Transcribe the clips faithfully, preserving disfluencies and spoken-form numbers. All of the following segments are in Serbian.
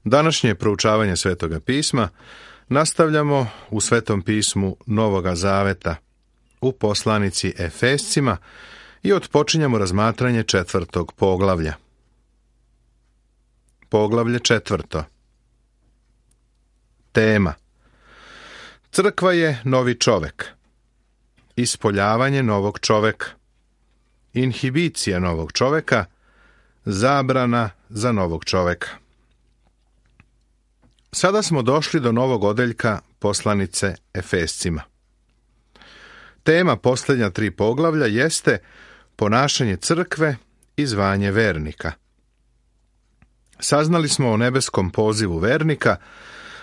Današnje proučavanje Svetoga pisma nastavljamo u Svetom pismu Novoga Zaveta, u poslanici Efescima i otpočinjamo razmatranje četvrtog poglavlja. Poglavlje četvrto. Tema: Crkva je novi čovek. Ispoljavanje novog čoveka. Inhibicija novog čoveka. Zabrana za novog čoveka. Sada smo došli do novog odeljka poslanice Efescima. Tema posljednja tri poglavlja jeste ponašanje crkve i zvanje vernika. Saznali smo o nebeskom pozivu vernika,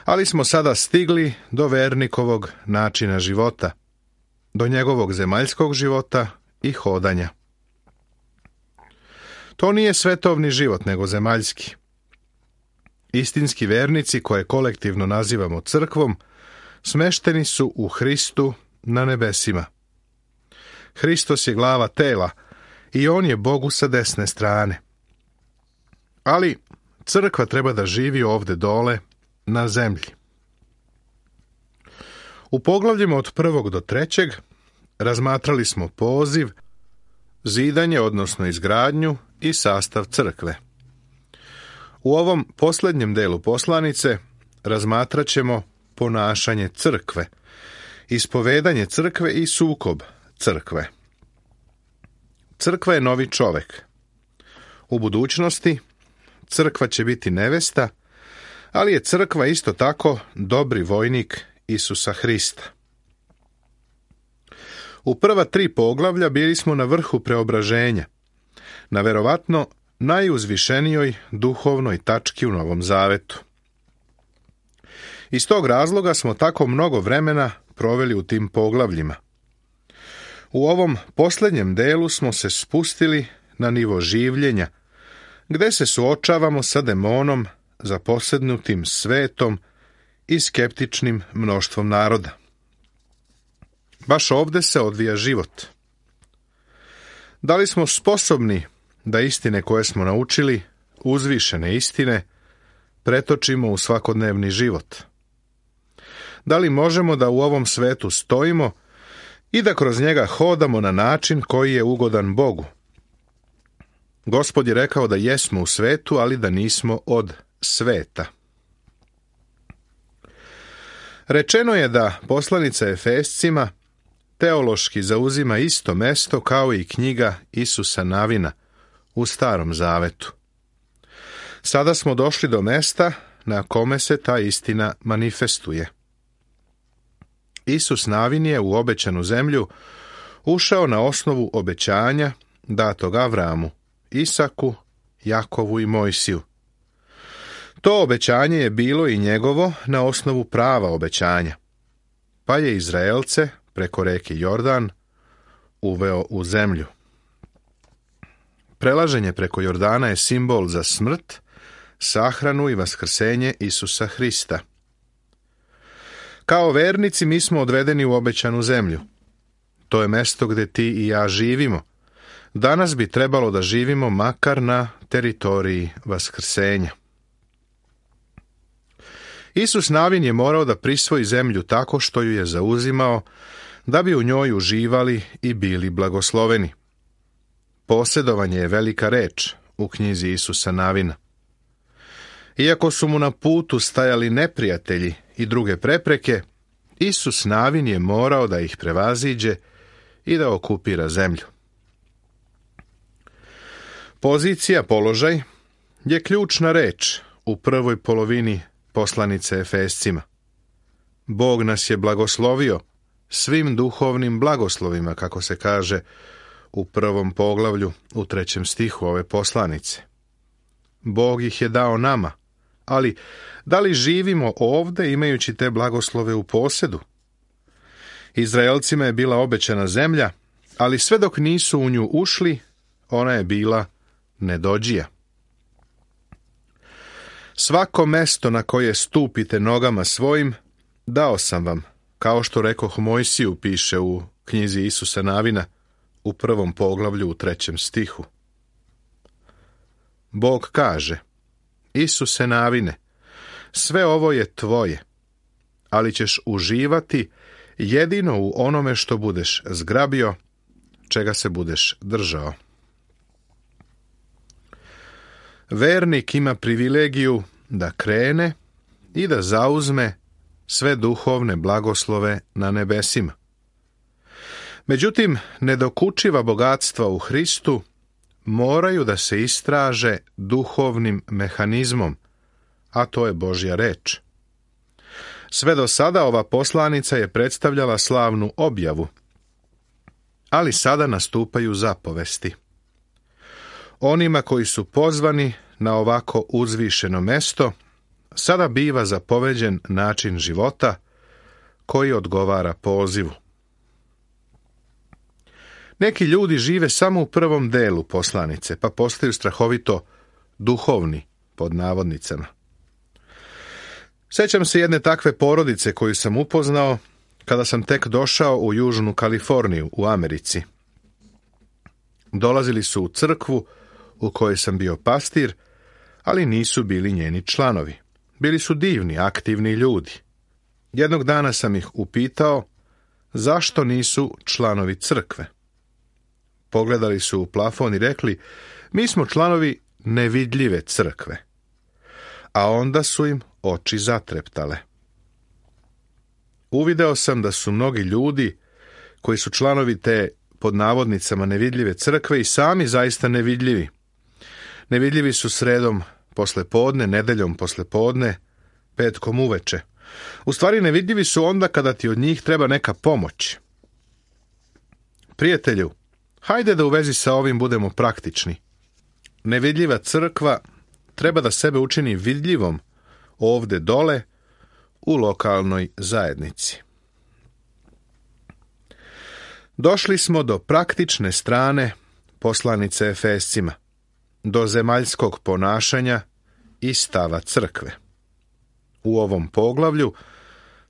ali smo sada stigli do vernikovog načina života, do njegovog zemaljskog života i hodanja. To nije svetovni život, nego zemaljski. Istinski vernici, koje kolektivno nazivamo crkvom, smešteni su u Hristu na nebesima. Hristos je glava tela i on je Bogu sa desne strane. Ali crkva treba da živi ovde dole, na zemlji. U poglavljima od prvog do trećeg razmatrali smo poziv, zidanje, odnosno izgradnju i sastav crkve. U ovom posljednjem delu poslanice razmatrat ćemo ponašanje crkve, ispovedanje crkve i sukob crkve. Crkva je novi čovek. U budućnosti crkva će biti nevesta, ali je crkva isto tako dobri vojnik Isusa Hrista. U prva tri poglavlja bili smo na vrhu preobraženja, na verovatno najuzvišenijoj duhovnoj tački u Novom Zavetu. Iz tog razloga smo tako mnogo vremena proveli u tim poglavljima. U ovom posljednjem delu smo se spustili na nivo življenja, gde se suočavamo sa demonom zaposednutim svetom i skeptičnim mnoštvom naroda. Baš ovde se odvija život. Da li smo sposobni da istine koje smo naučili, uzvišene istine, pretočimo u svakodnevni život? Da li možemo da u ovom svetu stojimo i da kroz njega hodamo na način koji je ugodan Bogu? Gospod je rekao da jesmo u svetu, ali da nismo od sveta. Rečeno je da poslanica Efescima teološki zauzima isto mesto kao i knjiga Isusa Navina u Starom Zavetu. Sada smo došli do mesta na kome se ta istina manifestuje. Isus Navin je u obećanu zemlju ušao na osnovu obećanja datog Avramu, Isaku, Jakovu i Mojsiju. To obećanje je bilo i njegovo na osnovu prava obećanja, pa je Izraelce preko reke Jordan uveo u zemlju. Prelaženje preko Jordana je simbol za smrt, sahranu i vaskrsenje Isusa Hrista. Kao vernici mi smo odvedeni u obećanu zemlju. To je mesto gde ti i ja živimo. Danas bi trebalo da živimo makar na teritoriji vaskrsenja. Isus Navin je morao da prisvoji zemlju tako što ju je zauzimao, da bi u njoj uživali i bili blagosloveni. Posjedovanje je velika reč u knjizi Isusa Navina. Iako su mu na putu stajali neprijatelji i druge prepreke, Isus Navin je morao da ih prevaziđe i da okupira zemlju. Pozicija, položaj, je ključna reč u prvoj polovini poslanice Efescima. Bog nas je blagoslovio svim duhovnim blagoslovima, kako se kaže u prvom poglavlju u trećem stihu ove poslanice. Bog ih je dao nama, ali da li živimo ovde imajući te blagoslove u posedu? Izraelcima je bila obećana zemlja, ali sve dok nisu u nju ušli, ona je bila nedođija. Svako mesto na koje stupite nogama svojim, dao sam vam, kao što rekoh Mojsiju, piše u knjizi Isusa Navina, u prvom poglavlju u trećem stihu. Bog kaže: Isuse Navine, Sve ovo je tvoje, ali ćeš uživati jedino u onome što budeš zgrabio, čega se budeš držao. Vernik ima privilegiju da krene i da zauzme sve duhovne blagoslove na nebesima. Međutim, nedokučiva bogatstva u Hristu moraju da se istraže duhovnim mehanizmom, a to je Božja reč. Sve do sada ova poslanica je predstavljala slavnu objavu, ali sada nastupaju zapovesti. Onima koji su pozvani na ovako uzvišeno mesto, sada biva zapoveđen način života koji odgovara pozivu. Neki ljudi žive samo u prvom delu poslanice, pa postaju strahovito duhovni, pod navodnicama. Sjećam se jedne takve porodice koju sam upoznao kada sam tek došao u Južnu Kaliforniju u Americi. Dolazili su u crkvu u kojoj sam bio pastir, ali nisu bili njeni članovi. Bili su divni, aktivni ljudi. Jednog dana sam ih upitao zašto nisu članovi crkve. Pogledali su u plafon i rekli, mi smo članovi nevidljive crkve. A onda su im oči zatreptale. Uvideo sam da su mnogi ljudi koji su članovi te pod navodnicama nevidljive crkve i sami zaista nevidljivi. Nevidljivi su sredom posle podne, nedeljom posle podne, petkom uveče. U stvari nevidljivi su onda kada ti od njih treba neka pomoć. Prijatelju, hajde da u vezi sa ovim budemo praktični. Nevidljiva crkva treba da sebe učini vidljivom ovde dole u lokalnoj zajednici. Došli smo do praktične strane poslanice Efescima, do zemaljskog ponašanja i stava crkve. U ovom poglavlju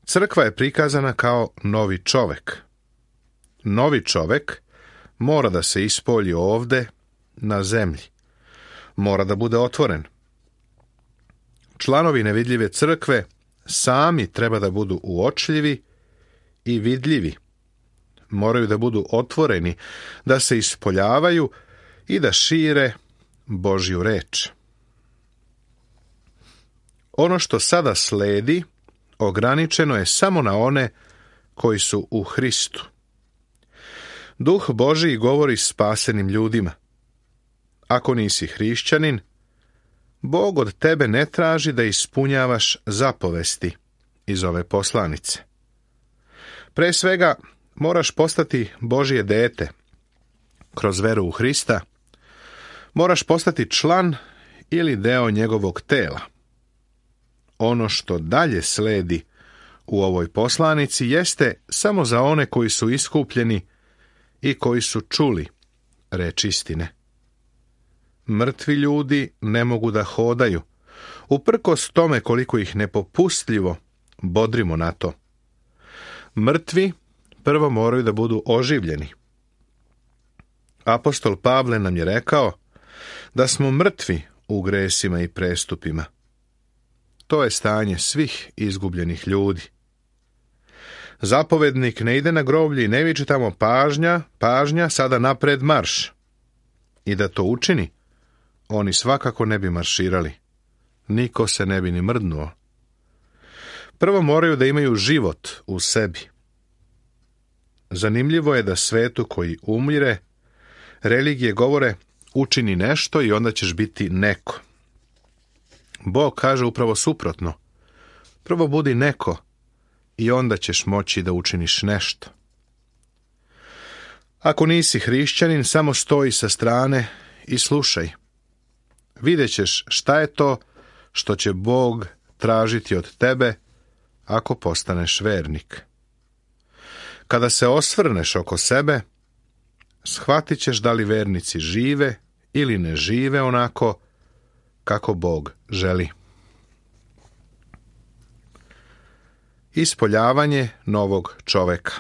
crkva je prikazana kao novi čovek. Novi čovek mora da se ispolji ovde na zemlji. Mora da bude otvoren. Članovi nevidljive crkve sami treba da budu uočljivi i vidljivi. Moraju da budu otvoreni, da se ispoljavaju i da šire Božju reč. Ono što sada sledi ograničeno je samo na one koji su u Hristu. Duh Božji govori spasenim ljudima. Ako nisi hrišćanin, Bog od tebe ne traži da ispunjavaš zapovesti iz ove poslanice. Pre svega, moraš postati Božje dete kroz veru u Hrista. Moraš postati član ili deo njegovog tela. Ono što dalje sledi u ovoj poslanici jeste samo za one koji su iskupljeni i koji su čuli reč istine. Mrtvi ljudi ne mogu da hodaju, uprkos tome koliko ih nepopustljivo bodrimo na to. Mrtvi prvo moraju da budu oživljeni. Apostol Pavle nam je rekao da smo mrtvi u gresima i prestupima. To je stanje svih izgubljenih ljudi. Zapovednik ne ide na groblje i ne viče tamo pažnja, pažnja, sada napred marš. I da to učini, oni svakako ne bi marširali. Niko se ne bi ni mrdnuo. Prvo moraju da imaju život u sebi. Zanimljivo je da svetu koji umire, religije govore učini nešto i onda ćeš biti neko. Bog kaže upravo suprotno. Prvo budi neko i onda ćeš moći da učiniš nešto. Ako nisi hrišćanin, samo stoji sa strane i slušaj. Vidjet ćeš šta je to što će Bog tražiti od tebe ako postaneš vernik. Kada se osvrneš oko sebe, shvatit ćeš da li vernici žive ili ne žive onako kako Bog želi. Ispoljavanje novog čoveka.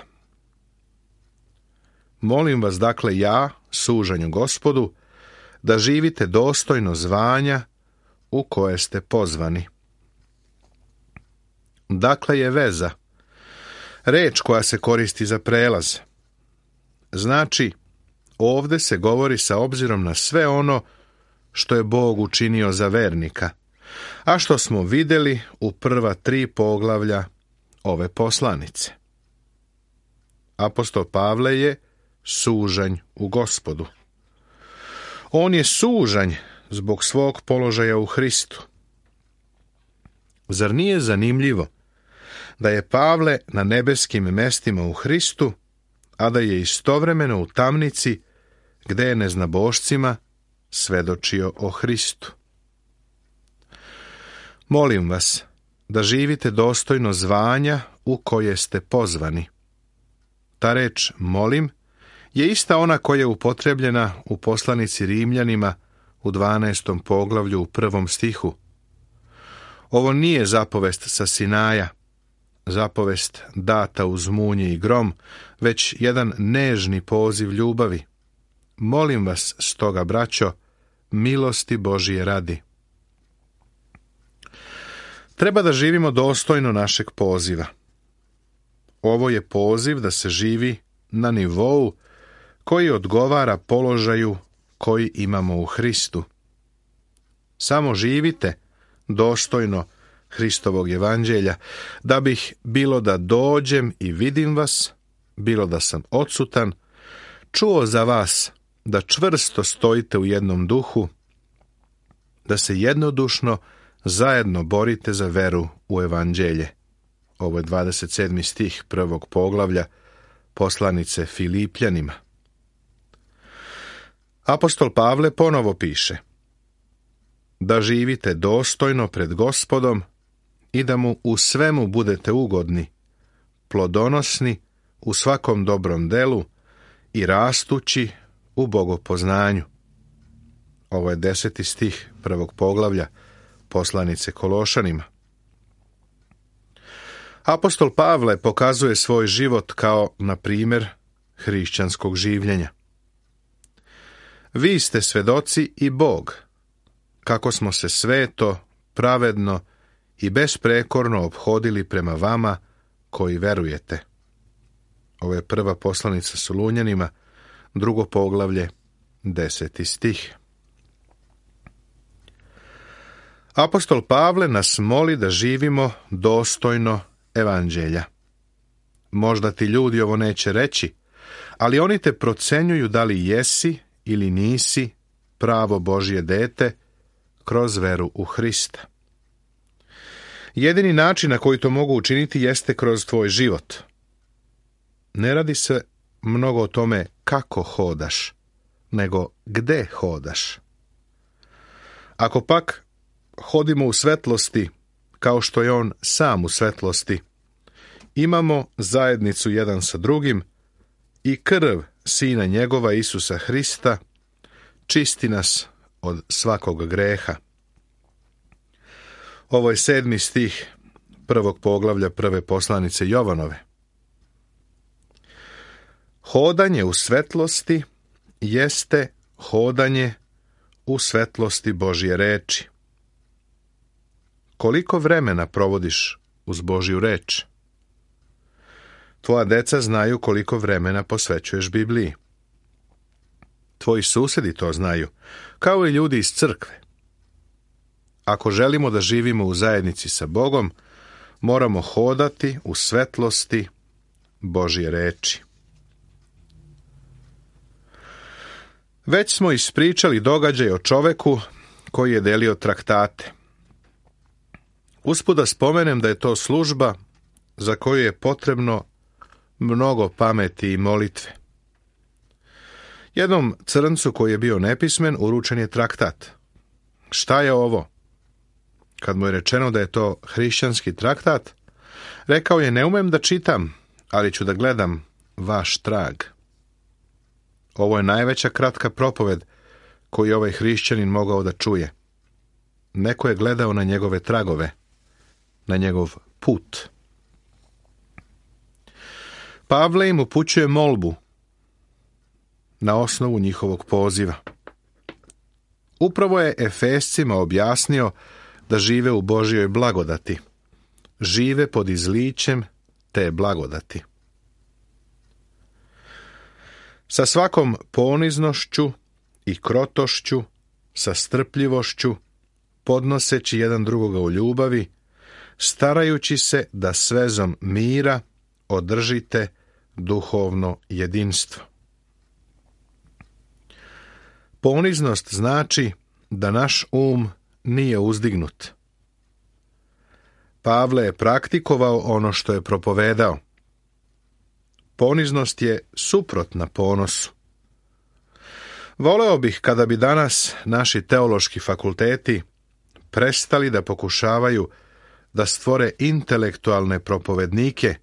Molim vas dakle ja, sužanju Gospodu, da živite dostojno zvanja u koje ste pozvani. Dakle je veza. Reč koja se koristi za prelaz. Znači, ovdje se govori sa obzirom na sve ono što je Bog učinio za vernika, a što smo vidjeli u prva tri poglavlja ove poslanice. Apostol Pavle je sužanj u Gospodu. On je sužanj zbog svog položaja u Hristu. Zar nije zanimljivo da je Pavle na nebeskim mestima u Hristu, a da je istovremeno u tamnici gdje je neznabošcima svedočio o Hristu? Molim vas da živite dostojno zvanja u koje ste pozvani. Ta reč molim je ista ona koja je upotrebljena u poslanici Rimljanima u dvanaestom poglavlju u prvom stihu. Ovo nije zapovest sa Sinaja, zapovest data uz munje i grom, već jedan nežni poziv ljubavi. Molim vas stoga, braćo, milosti Božije radi. Treba da živimo dostojno našeg poziva. Ovo je poziv da se živi na nivou koji odgovara položaju koji imamo u Hristu. Samo živite dostojno Hristovog evanđelja, da bih, bilo da dođem i vidim vas, bilo da sam odsutan, čuo za vas da čvrsto stojite u jednom duhu, da se jednodušno zajedno borite za veru u evanđelje. Ovo je dvadeset sedmi stih prvog poglavlja poslanice Filipljanima. Apostol Pavle ponovo piše: da živite dostojno pred Gospodom i da mu u svemu budete ugodni, plodonosni u svakom dobrom delu i rastući u bogopoznanju. Ovo je deseti stih prvog poglavlja poslanice Kološanima. Apostol Pavle pokazuje svoj život kao, na primjer, hrišćanskog življenja. Vi ste svedoci i Bog, kako smo se sveto, pravedno i besprekorno ophodili prema vama koji verujete. Ovo je prva poslanica Solunjanima, drugo poglavlje, deseti stih. Apostol Pavle nas moli da živimo dostojno evanđelja. Možda ti ljudi ovo neće reći, ali oni te procenjuju da li jesi ili nisi pravo Božje dete kroz veru u Hrista. Jedini način na koji to mogu učiniti jeste kroz tvoj život. Ne radi se mnogo o tome kako hodaš, nego gde hodaš. Ako pak hodimo u svetlosti, kao što je on sam u svetlosti, imamo zajednicu jedan sa drugim i krv Sina njegova Isusa Hrista čisti nas od svakog greha. Ovo je sedmi stih prvog poglavlja prve poslanice Jovanove. Hodanje u svetlosti jeste hodanje u svetlosti Božje reči. Koliko vremena provodiš uz Božju reč? Tvoja deca znaju koliko vremena posvećuješ Bibliji. Tvoji susedi to znaju, kao i ljudi iz crkve. Ako želimo da živimo u zajednici sa Bogom, moramo hodati u svetlosti Božje reči. Već smo ispričali događaj o čoveku koji je delio traktate. Usput da spomenem da je to služba za koju je potrebno mnogo pameti i molitve. Jednom crncu koji je bio nepismen uručen je traktat. Šta je ovo? Kad mu je rečeno da je to hrišćanski traktat, rekao je: ne umem da čitam, ali ću da gledam vaš trag. Ovo je najveća kratka propoved koju ovaj hrišćanin mogao da čuje. Neko je gledao na njegove tragove, na njegov put. Pavle im upućuje molbu na osnovu njihovog poziva. Upravo je Efescima objasnio da žive u Božjoj blagodati. žive pod izlićem te blagodati. Sa svakom poniznošću i krotošću, sa strpljivošću, podnoseći jedan drugoga u ljubavi, starajući se da s vezom mira održite duhovno jedinstvo. Poniznost znači da naš um nije uzdignut. Pavle je praktikovao ono što je propovedao. Poniznost je suprotna ponosu. Voleo bih kada bi danas naši teološki fakulteti prestali da pokušavaju da stvore intelektualne propovednike,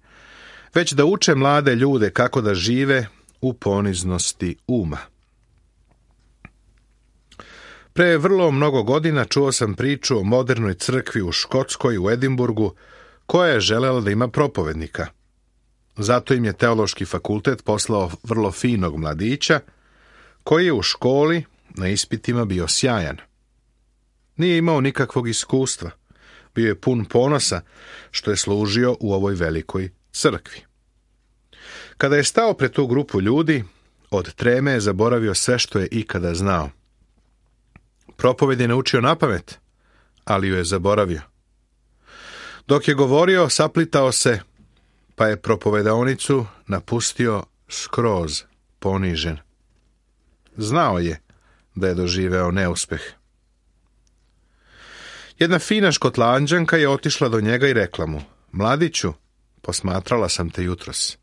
već da uče mlade ljude kako da žive u poniznosti uma. Pre vrlo mnogo godina čuo sam priču o modernoj crkvi u Škotskoj u Edimburgu, koja je želela da ima propovednika. Zato im je teološki fakultet poslao vrlo finog mladića, koji je u školi na ispitima bio sjajan. Nije imao nikakvog iskustva, bio je pun ponosa što je služio u ovoj velikoj crkvi. Kada je stao pred tu grupu ljudi, od treme je zaboravio sve što je ikada znao. Propoved je naučio napamet, ali ju je zaboravio. Dok je govorio, saplitao se, pa je propovedaonicu napustio skroz ponižen. Znao je da je doživeo neuspeh. Jedna fina Škotlanđanka je otišla do njega i rekla mu: Mladiću, posmatrala sam te jutros.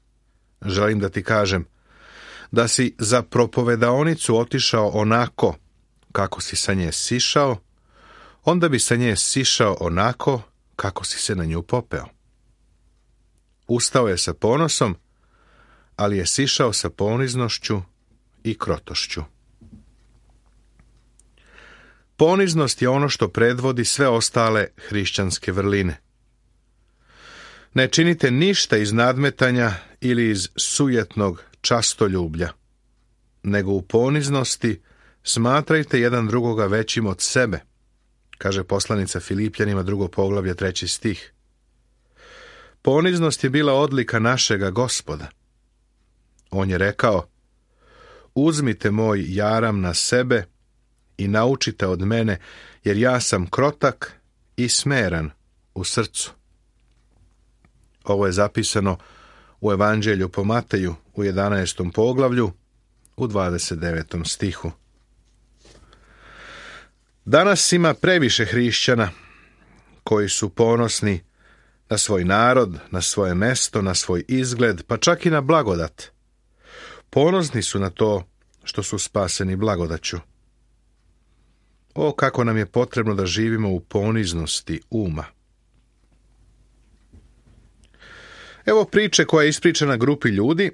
Želim da ti kažem da si za propovedaonicu otišao onako kako si sa nje sišao, onda bi sa nje sišao onako kako si se na nju popeo. Ustao je sa ponosom, ali je sišao sa poniznošću i krotošću. Poniznost je ono što predvodi sve ostale hrišćanske vrline. Ne činite ništa iz nadmetanja ili iz sujetnog častoljublja, nego u poniznosti smatrajte jedan drugoga većim od sebe, kaže poslanica Filipljanima drugo poglavlje treći stih. Poniznost je bila odlika našega Gospoda. On je rekao: Uzmite moj jaram na sebe i naučite od mene, jer ja sam krotak i smeran u srcu. Ovo je zapisano u Evanđelju po Mateju u jedanaestom poglavlju u dvadeset devetom stihu. Danas ima previše hrišćana koji su ponosni na svoj narod, na svoje mesto, na svoj izgled, pa čak i na blagodat. Ponosni su na to što su spaseni blagodaću. O, kako nam je potrebno da živimo u poniznosti uma. Evo priče koja je ispričana grupi ljudi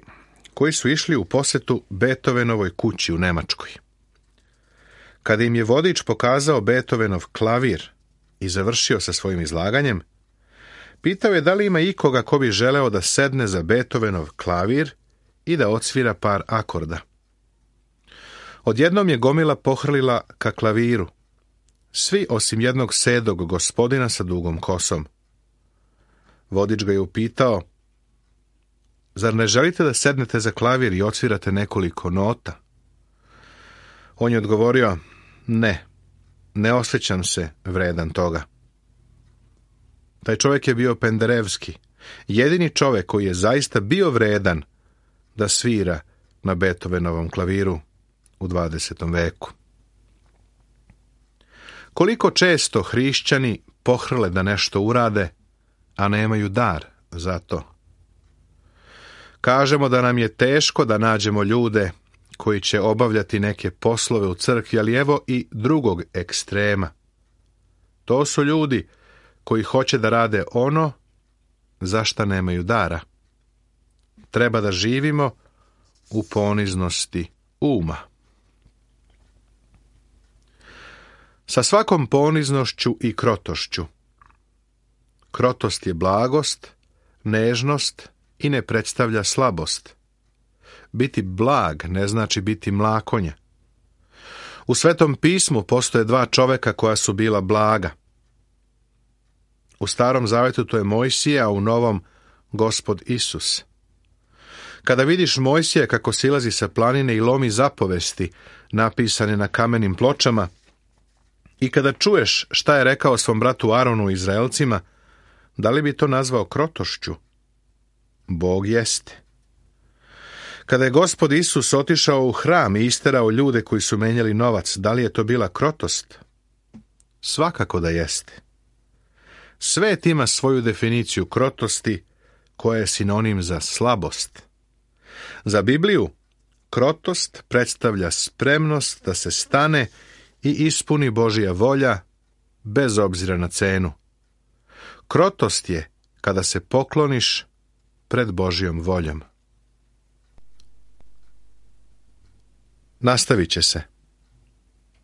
koji su išli u posetu Beethovenovoj kući u Nemačkoj. Kada im je vodič pokazao Beethovenov klavir i završio sa svojim izlaganjem, pitao je da li ima ikoga ko bi želeo da sedne za Beethovenov klavir i da odsvira par akorda. Odjednom je gomila pohrlila ka klaviru, svi osim jednog sedog gospodina sa dugom kosom. Vodič ga je upitao: Zar ne želite da sednete za klavir i odsvirate nekoliko nota? On je odgovorio: Ne, ne osjećam se vredan toga. Taj čovjek je bio Penderevski, jedini čovjek koji je zaista bio vredan da svira na Beethovenovom klaviru u dvadesetom veku. Koliko često hrišćani pohrle da nešto urade, a nemaju dar za to. Kažemo da nam je teško da nađemo ljude koji će obavljati neke poslove u crkvi, ali evo i drugog ekstrema. To su ljudi koji hoće da rade ono za šta nemaju dara. Treba da živimo u poniznosti uma. Sa svakom poniznošću i krotošću. Krotost je blagost, nežnost i ne predstavlja slabost. Biti blag ne znači biti mlakonja. U Svetom pismu postoje dva čoveka koja su bila blaga. U Starom zavetu to je Mojsije, a u Novom Gospod Isus. Kada vidiš Mojsija kako silazi sa planine i lomi zapovesti napisane na kamenim pločama, i kada čuješ šta je rekao svom bratu Aronu i Izraelcima, da li bi to nazvao krotošću? Bog jeste. Kada je Gospod Isus otišao u hram i isterao ljude koji su menjali novac, da li je to bila krotost? Svakako da jeste. Svet ima svoju definiciju krotosti, koja je sinonim za slabost. Za Bibliju, krotost predstavlja spremnost da se stane i ispuni Božja volja, bez obzira na cenu. Krotost je kada se pokloniš pred Božjom voljom. Nastavit će se.